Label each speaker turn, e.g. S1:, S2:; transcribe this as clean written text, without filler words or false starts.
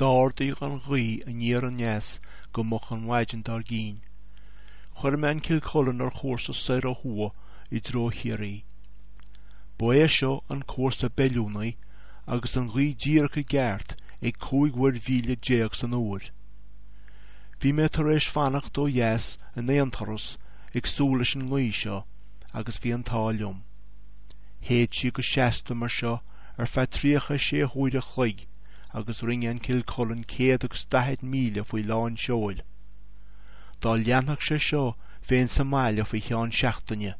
S1: D'ardaigh an ghaoth aniar aneas go moch an mhaidin dár gcinn. Chuir mé an Kilcullen ar chúrsa soir ó thuaidh i dtreo Chiarraí. Ba é seo an cúrsa b'fheiliúnaí agus an ghaoth díreach i gceart ag 15 mhuirmhíle san uair. Bhí mé tar éis fanacht ó dheas in aon turas ag súil leis an ngaoth seo agus bhí an t-ádh liom. Shéid sí go seasta mar seo ar feadh 36 huaire a chloig agus rinne an Kilcullen 140 míle faoi lán seoil. Dá leanfadh sé seo bheinn sa mbaile faoi cheann seachtaine.